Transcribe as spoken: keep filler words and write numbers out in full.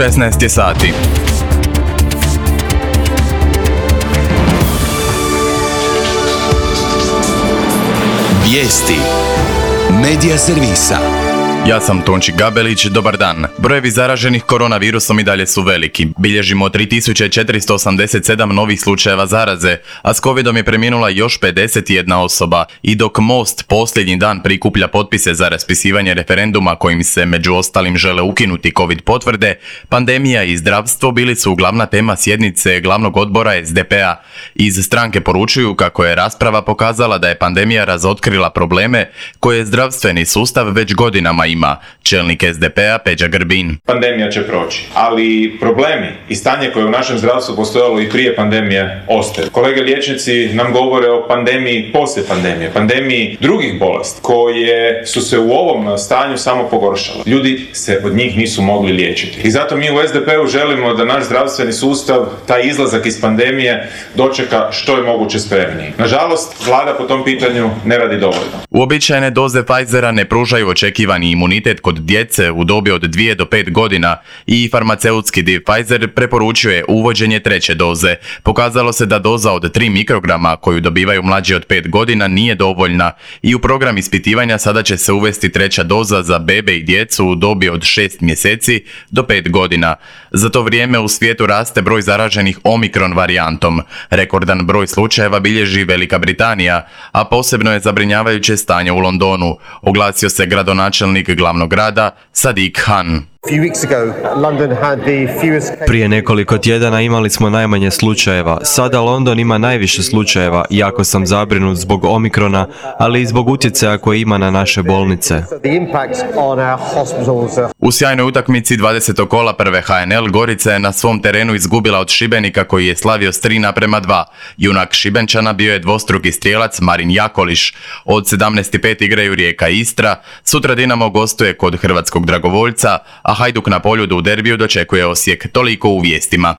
šesnaest je sati. Vijesti Medija servisa. Ja sam Tonči Gabelić, dobar dan. Brojevi zaraženih koronavirusom i dalje su veliki. Bilježimo tri tisuće četiristo osamdeset sedam novih slučajeva zaraze, a s covidom je preminula još pedeset jedna osoba. I dok Most posljednji dan prikuplja potpise za raspisivanje referenduma kojim se među ostalim žele ukinuti covid potvrde, pandemija i zdravstvo bili su glavna tema sjednice glavnog odbora es de pe a. Iz stranke poručuju kako je rasprava pokazala da je pandemija razotkrila probleme koje zdravstveni sustav već godinama ima. Čelnik es de pe a Peđa Grbin. Pandemija će proći, ali problemi i stanje koje u našem zdravstvu postojalo i prije pandemije ostaje. Kolege liječnici nam govore o pandemiji poslije pandemije, pandemiji drugih bolesti koje su se u ovom stanju samo pogoršale. Ljudi se od njih nisu mogli liječiti. I zato mi u es de pe u želimo da naš zdravstveni sustav taj izlazak iz pandemije dočeka što je moguće spremniji. Nažalost, vlada po tom pitanju ne radi dovoljno. Uobičajene doze Pfizera ne pružaju očekivani imunitet kod djece u dobi od dvije do pet godina i farmaceutski div Pfizer preporučuje uvođenje treće doze. Pokazalo se da doza od tri mikrograma koju dobivaju mlađi od pet godina nije dovoljna i u program ispitivanja sada će se uvesti treća doza za bebe i djecu u dobi od šest mjeseci do pet godina. Za to vrijeme u svijetu raste broj zaraženih Omikron varijantom. Rekordan broj slučajeva bilježi Velika Britanija, a posebno je zabrinjavajuće stanje u Londonu, oglasio se gradonačelnik glavnog grada Sadiq Khan. Prije nekoliko tjedana imali smo najmanje slučajeva. Sada London ima najviše slučajeva. Jako sam zabrinut zbog Omikrona, ali i zbog utjecaja koje ima na naše bolnice. U sjajnoj utakmici dvadesetog kola prve ha en el Gorica je na svom terenu izgubila od Šibenika koji je slavio s tri naprema dva. Junak Šibenčana bio je dvostruki strijelac Marin Jakoliš. Od sedamnaest i pet igraju Rijeka i Istra. Sutra Dinamo gostuje kod hrvatskog dragovoljca, a Hajduk na Poljudu u derbiju dočekuje Osijek. Toliko u vijestima.